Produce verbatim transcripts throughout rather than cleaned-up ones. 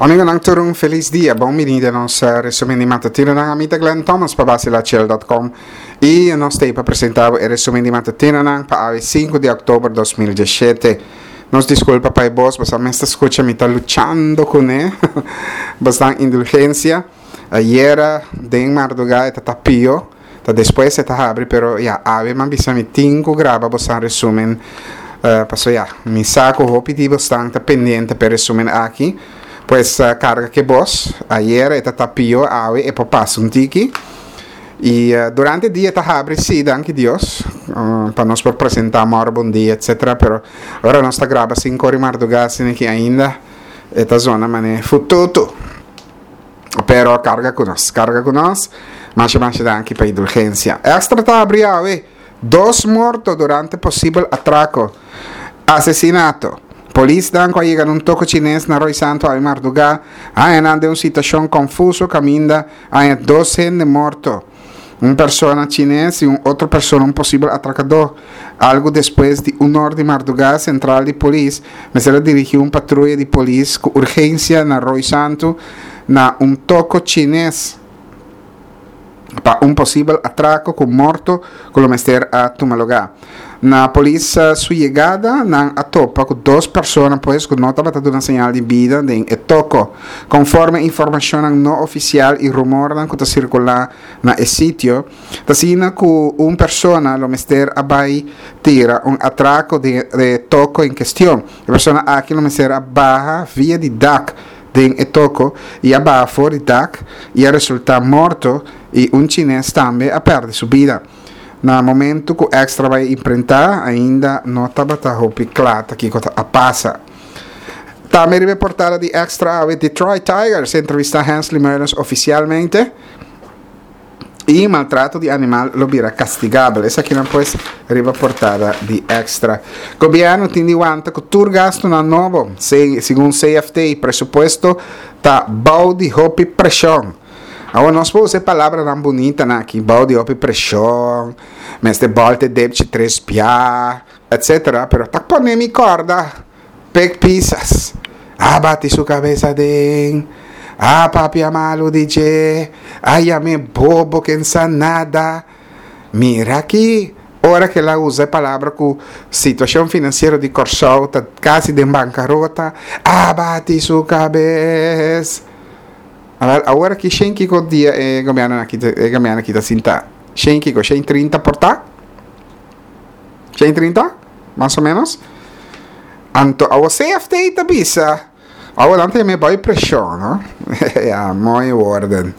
Amigonan, tur un felis dia. Bon bini den nos resumen di matutinonan. Ami ta Glenn Thomas pa Basilachel punto com i nos ta pa presentá e resumen di matutinonan pa awe, sinku di òktober dos mil diesshete. Nos diskulpa pa bos, boso mes ta skucha, mi ta luchando kuné. Boso indulgensia. Ayera den mardugá ta pió, ta despues ta habri, pero ya, awe m'a bisa mi tin ku graba boso resumen. Uh, paso ya, mi sa ku hopi di boso ta pendiente pa e resumen aki. Pues uh, karga ku bos, ayera e ta pió, awe e por pasa un tiki. I uh, durante dia ta habri sí, danki Dios, uh, pa nos por presentá mòru bon dia, et cetera. Pero awor nos ta graba sinku or di mardugá, asina ku ainda e ta zona manera fututu. Pero karga ku nos, karga ku nos. Masha masha danki pa indulgensia. Extra ta habri awe. Dos morto durante posibel atrako. Asesinato. Polisnan a yega na un toko chines na Rooi Santo awe mardugá. A den un situashon konfuso kaminda a dos hende morto. Un persona chines i un otro persona, un posibel atrakadó. Algu despues di un or di mardugá, sentral di polis mester a dirigí un patruya di polis ku urgensia na Rooi Santo na un toko chines pa un posibel atrako ku morto ku mester a tuma lugá. Na polis su yegada, nan a topa ku dos persona, pues, ku no tabata duna señal di bida den e toko. Konforme informashon no ofisial i rumor ku ta sirkulá na e sitio, ta asina ku un persona lo mester a bai tira un atrako den e toko en kuestion. E persona aki lo mester a baha via di dak den e toko i a baha for di dak i a resultá morto, i un chines tambe a pèrdè su bida. Na momento ku Extra a bai imprenta, ainda no tabata hopi kla kiko a pasa. Tambe riba portada di Extra, Detroit Tigers entrevistá Hensley Meulens ofisialmente. I maltrato di animal lo bira kastigabel. Esakinan, pues, riba portada di Extra. Gobièrnu tin di wanta ku tur gastunan nobo. Segun C F T, presupuesto ta bou di hopi preshon. Awor nos por usa palabranan bunita aki, bou di hopi preshon, mester bòlta depchi tres bia, et cetera. Pero ta pone mi kòrda Pik Pisas. A bati su kabes aden. A papia malu di dje. A yam'é bobo ku n' sa nada. Mira aki. Ora ku el a usa e palabra ku situashon finansiero di Kòrsou ta kasi den bankarota. A bati su kabes. Awor aki shen kiko dia e gobièrnu aki e gobièrnu aki ta sinta. Shen kiko, shen trinta por ta? Shen trinta? Mas o ménos? Anto, e C F T ta bisa. Awor nan tin bai preshon, no? Ja, mooie woorden.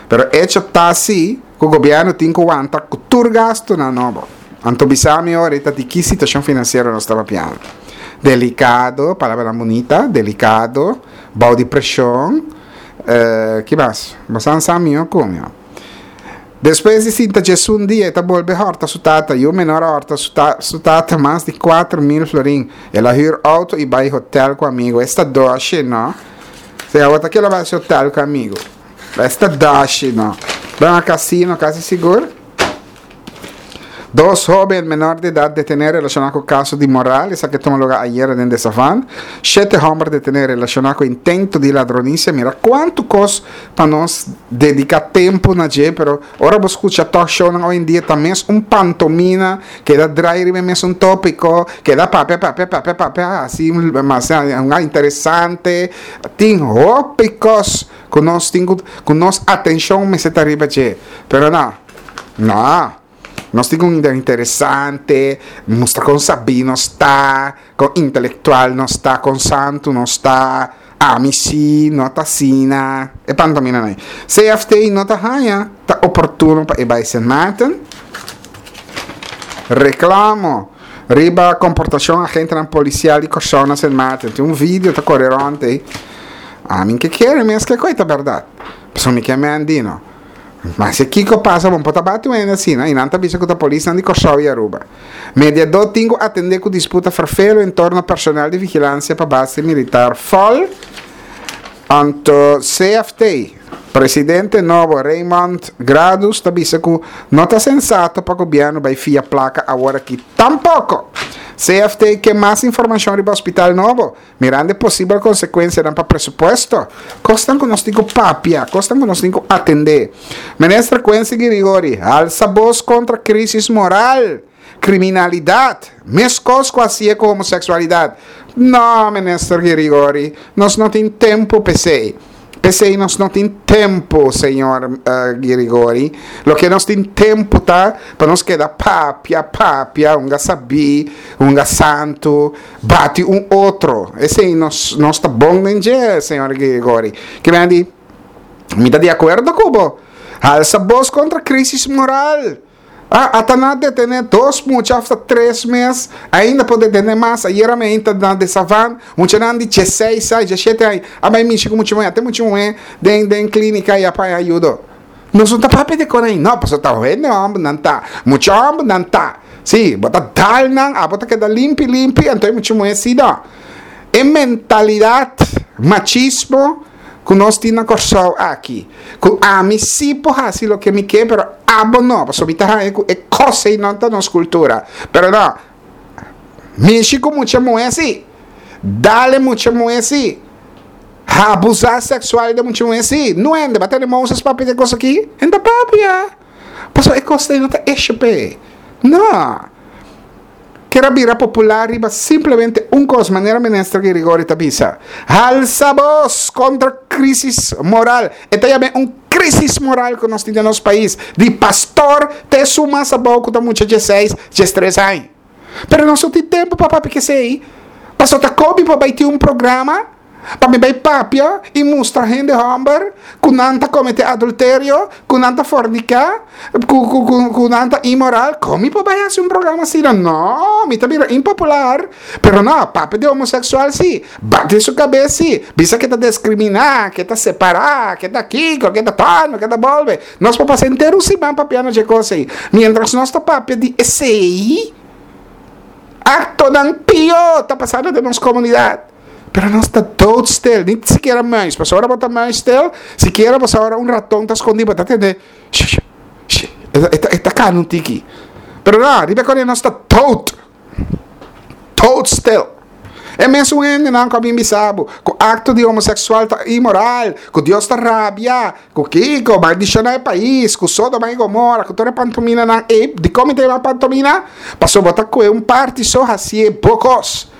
Pero hecho ta asina, ku gobièrnu tin ku wanta ku tur gastunan nobo. Anto bisa mi awor di ki situashon finansiero nos ta papiando. Delikado, palabra bunita, delikado, bou di preshon, uh, ki mas? Bo sa mi kon. Despues di sinta un dia, ta bolbe hòrta su tata, i e menor a hòrta su, ta, su tata mas di kuater mil florin. El a hür outo i bai hotel ku amigu. Esta dushi, no? Si a outra ku el a bai hotel ku amigu. Esta dushi, no? Bai na kasino, kasi sigur. Dos hóben menor di edat detené relashoná ku kaso di moral, esaki a tuma lugá ayera den De Savan. Shete hòmber detené relashoná ku intento di ladronisia. Mira kuantu kos pa nos dediká tempu na dje, pero ora bo skucha talk show hoi en dia tambe un pantomima, keda drai mes un tópiko, keda papia, papia, papia, papia, asina, mas un interesante. Tin hopi kos ku nos tin ku nos atenshon mester ta riba dje. Pero no, no. Nos tin un interesante, mustra kon sabí nos ta, kon intelektual nos ta, kon santu nos ta, ami sí, no ta asina, e pantomima no. C F T no ta haña, ta oportuno pa bai Sint Maarten. Reklamo riba komportashon agentenan polisial di Kòrsou na Sint Maarten. Tin un video ta kore rònt. Ami ke kere mes ku ta berdat. Paso mi ke mendino. Mas si kiko pasa, bon, por ta bati un asina, i nan ta bisa ku ta polis di Kòrsou i Aruba. Mediadó tin ku atendé ku disputa ferfelu en torno personal di vigilansia pa base militar F O L. Anto C F T, Presidente nobo Raymond Gradus ta bisa ku no ta sensato pa gobièrnu bai fia plaka awor aki tampoko. C F T ke mas informashon riba hospital nobo, mirando posibel konsekuensianan pa presupuesto. Kosnan ku nos tin ku papia, kosnan ku nos tin ku atendé. Minister Quincy Girigorie, alsa bos kontra krísis moral, kriminalidat, meskos ku asina ku homoseksualidat. No, Minister Girigorie, nos no tin tempu p'esei. P'esei nos no tin tempu, señor uh, Girigorie. Loke nos tin tempu ta pa nos keda papia, papia, hunga sabí, hunga santu, bati un otro. Esei nos nos ta bon den dje, señor Girigorie. Ke men di, mi ta di akuerdo ku bo. Alsa bos kontra krísis moral. Ah, ata nan a detené dos mucha after tres mes, ainda por detené mas. Ayera mainta na De Savan, muchanan di diesseis, diesshete aña, a bai mishi ku mucha muhé, te mucha muhé den den klínika i a haña ayudo. Nos no ta papia di kos ei, no, paso ta hende hòmber nan ta, mucha hòmber nan ta. Si, bo ta dal nan, abo ta keda limpi limpi, anto mucha muhé si no. E mentalidat, machismo, ku nos tin na Kòrsou aki. Ku ami si por hasi loke mi ke, pero abo no, paso mi ta haña ku e kos ei no ta nos kultura. Pero no, mishi ku mucha muhé si. Dal mucha muhé si. Abusá seksual di mucha muhé si. No ende, b'a tende Moses papia di e kos aki? E n' ta papia. Paso e kos no ta issue. No. Ke a bira popular riba simplemente un kos, manera minister Girigorie ta bisa. Alsa bos kontra krísis moral. E ta un krísis moral ku nos tin den nos pais. Di pastor te esun mas abou ku ta mucha diesseis, diestres aña. Pero nos no tin tempu pa papia ku esei. Paso ta kobi pa bai tin un programa pa mi bai papia i mustra hende hòmber ku nan ta kometé adulterio, ku nan ta forniká, ku, ku, ku, ku nan ta inmoral. Kon mi por bai hasi un programa asina? No, mi ta bira impopular. Pero no, papia di homoseksual si, bati su kabes si, bisa ku ta diskriminá, ku ta separá, ku ta kiko, ku ta tano, ku ta bolbe. Nos por pasa henter siman papiando di kos ei. Mientras nos ta papia di esei, aktonan pió ta pasando den nos komunidat. Pero nos ta doodstil, ni sikiera muis. Paso ora bo ta muisstil, sikiera bo ora un raton ta skondí, ta tende, e ta kana un tiki. Pero no, riba ku nos ta dood. Doodstil. E mesun hendenan ku a bin bisa bo, ku akto di homoseksual ta inmoral, ku Dios ta rabia, ku kiko, maldishoná e pais, ku Sodoma i Gomora, ku tur e pantominanan, e di kon ta pantomina? Paso bo ta kue un parti so hasi bo kos.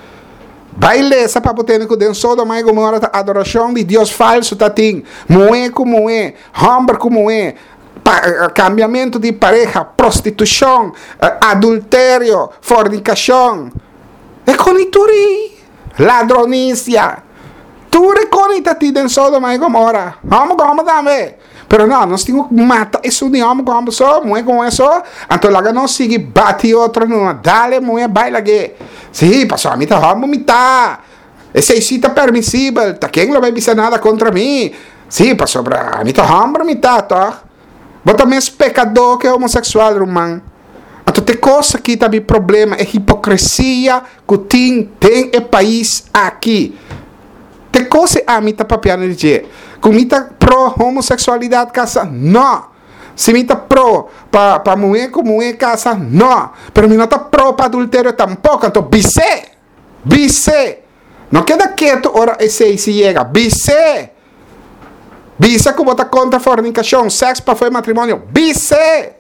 Bai lesa pa bo tende ku den Sodoma i Gomora ta adorashon di Dios falsu tatin. Muhé ku muhé, hòmber ku muhé, pa, kambiamentu di pareha, prostitushon, adulterio, fornikashon. E kos tur ei, ladronisia. Tur e kos tatin den Sodoma i Gomora. Hòmber ku hòmber tambe. Pero no, nos tin ku mata esun di hòmber ku hòmber so, muhé ku muhé so. Anto laga nos sigui bati otro no, dal muhé bai lag'é. Si, paso ami ta hòmber mi ta. Esei si ta permisibel, ta ken lo bai bisa nada kontra mi? Si, pasobra ami ta hòmber mi ta, toch? Bo ta mes pekadó ku homoseksual, ruman. Anto te kos aki ta mi problema, e hipokresia ku tin den e pais aki. Te kos ami ta papiando di dje. Ku mi ta pro homoseksualidat kasa? No. Si mi ta pro pa pa muhé ku muhé kasa? No. Pero mi no ta pro pa adulterio tampoko. Anto bis'é. Bis'é. No keda ketu ora esei si yega. Bis'é. Bisa ku bo ta kontra fornikashon, sèks pafó di matrimonio. Bis'é.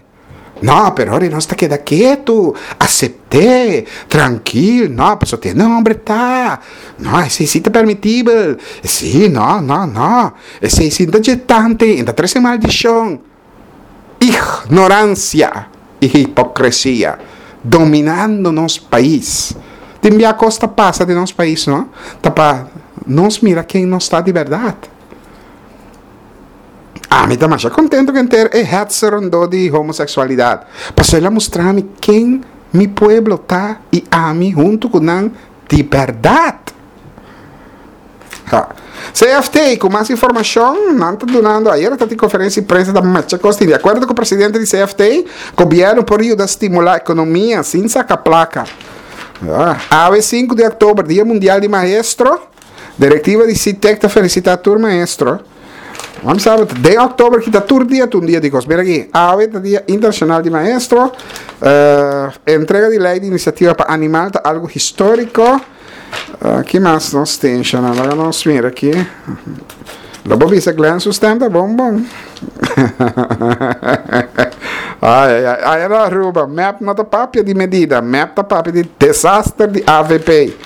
No, pero ora nos ta keda ketu, asept'é, trankil, no, paso tin hòmber ta. No, esei si ta permitibel. Si, no, no, no. Esei si ta tante, ta trese maldishon. Ignoransia i hipokresia dominando nos pais. Tin bia kos ta pasa den nos pais, no? Ta pa nos mira ken nos ta di bèrdat. Ami ta mas kontentu ku henter e hetze rondó di homoseksualidat. Paso el a mustra mi ken mi pueblo ta i ami huntu ku nan di bèrdat. Ha. C F T, ku mas informashon, nan ta dunando, ayera tabatin konferensia di prensa da masha kos. Di akuerdo ku e presidente di C F T, gobièrnu por yuda stimulá ekonomia sin saka plaka. Ah, awe sinku di òktober, Dia Mundial di Maestro, direktiva di SITEC ta felisitá tur maestro. Ban sabi, di òktober ku ta tur dia un dia di kos. Mira aki, awe ta Dia Internashonal di Maestro. Uh, entrega di lei di inisiativa pa animal ta algu históriko. Uh, ki mas nos tin? Awor nos mira aki. Lo bo bisa Glenn su stem ta bon bon. Ai, ai, ai, ai, Aruba, M E P no ta papia di medida, M E P ta papia di desaster di A V P.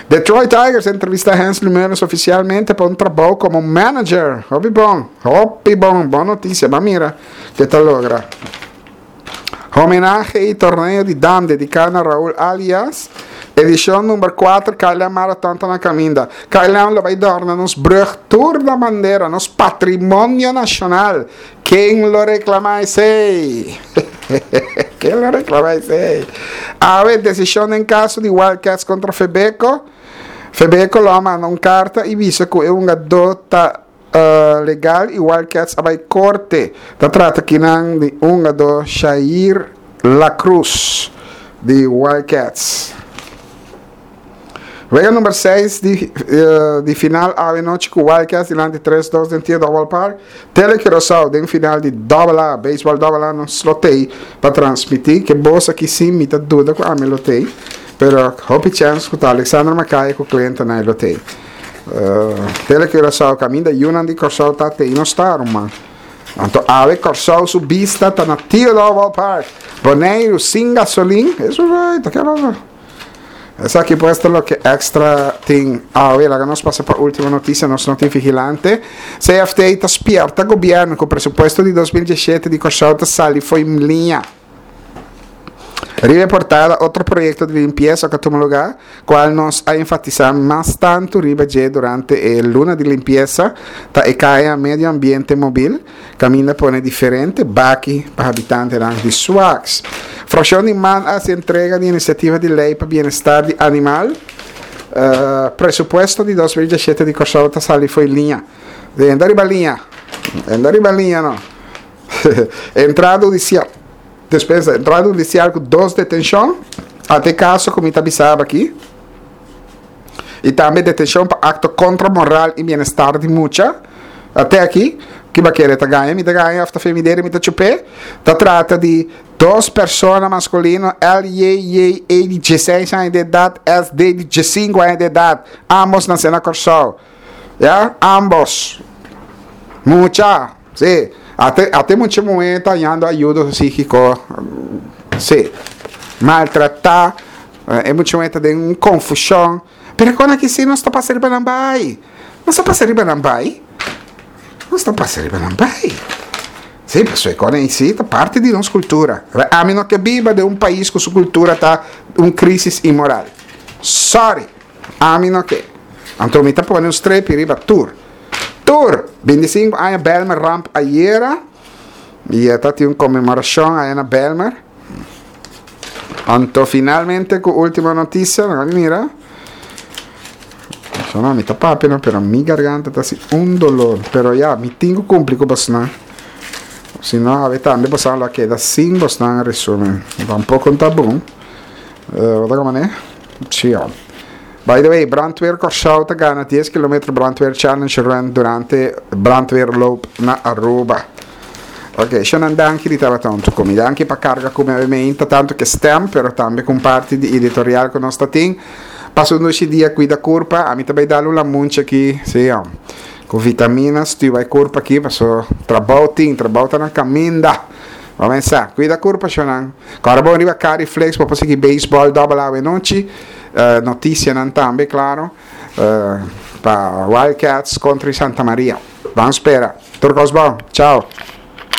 Detroit Tigers a entrevistá Hensley Meulens ofisialmente pa un trabou komo manager. Hopi bon, hopi bon, bon notisia, ma mira ku ta logra. Homenahe i torneo di dam dediká na Raúl Alias. Edishon number kuater, K L M Marathon ta na kaminda. K L M lo bai dòrna nos brùg tur na bandera, nos patrimonio nashonal. Ken lo reklamá esei? Ken lo reklamá esei? Awe, desishon den kaso di Wildcats kontra Febeko. Febeko lo manda un karta i bisa ku e hungadó ta uh, legal i Wildcats a bai korte. Ta trata aki nan di hungadó Shair La Cruz di Wildcats. Wega number seis di, uh, di final anochi ku Wildcats dilanti tres dos den Theodore Ballpark. Tele Curaçao den final di Double A, baseball Double A, nos lo tei pa transmití, ku boso aki sí, mi ta duda ku ami lo tei. Pero hopi chance ku Alexander Mackay ku kliente nan lo tei. Uh, Tele Curaçao kaminda yunan di Kòrsou ta tei no star man. Anto awe Kòrsou su bista ta na Theodore Ballpark. Boneiru sin gasolin. Esei bai, ta kla. Esaki pues ta loke Extra tin. Awe, laga nos pasa pa último notisia, nos no tin vigilante. C F T ta spièrta gobièrnu ku presupuesto di dos mil diesshete di Kòrsou ta sali fo'i liña. Riba portada, otro proyekto di limpiesa ku a tuma lugá, kual nos a enfatisá mas tantu riba durante e luna di limpiesa, ta e kaya Medio Ambiente Mobil, kaminda pone diferente baki pa habitante di Souax. Frakshon di MAN a entrega di inisiativa di lei pa bienestar di animal. Uh, presupuesto di dos mil diesshete di Kòrsou ta sali fo'i liña. Anda riba liña. Anda riba liña, no. Entrada hudisial. Despensa, entrada hudisial ku dos detenshon. Ata kaso ku mi ta bisabo aki. I tambe detenshon pa akto kontra moral i bienestar di mucha. Ata aki, ku bai kere ta gaña, mi ta gaña, òf ta femidere, mi ta chup'é. Ta trata di dos persona maskulino, L, J, J, A di diesseis aña di edat, S, D di diessinku aña di edat. Ambos nasé na Kòrsou. Ya? Ambos. Mucha. Sí. Ata, ata mucha muhé ta hañando ayudo síkiko. Sí. Maltratá. E mucha muhé ta den konfushon. Pero kon aki sí nos ta pasando riba nan bai. Nos ta pasando riba nan bai. Nos ta pasando riba nan bai. Sí, pasobra kon sí, ta parti di nos kultura. Ami no ke biba den un pais ku su kultura ta un krísis inmoral. Sorry. Ami no ke. Anto mi ta pone un strepi riba tur. Tur. bintisinku aña Bijlmer Ramp ayera. I ta tin un konmemorashon ei na Bijlmer. Anto finalmente ku último notisia, no mira. No, mi ta papia, no, pero mi garganta ta asina un doló. Pero ya, mi tin ku kumpli ku boso. Si no, awe tambe boso lo keda sin boso resúmen. Tampoko ta bon. Uh, wat kon e? Sí, by the way, Brandweer Kòrsou ta gana dies kilometer Brandweer Challenge Run durante Brandweer Loop na Aruba. Ok, shonan, danki di tabata huntu ku mi. Danki pa karga ku mi tantu ku stem, pero tambe ku parti di editorial ku nos tin. Pasa un dia, kuida kurpa, ami tambe dal un lamunchi aki, sí, ó. Ku vitamina, stuur kurpa aki, paso trabou tin, trabou ta na kaminda. Ban pensa, kuida kurpa, shonan. Awor bon riba Cariflex, pa sigui baseball double A nochi. Uh, notisianan tambe, klaro. Uh, pa Wildcats kontra Santa Maria. Ban spera. Tur kos bon. Chao.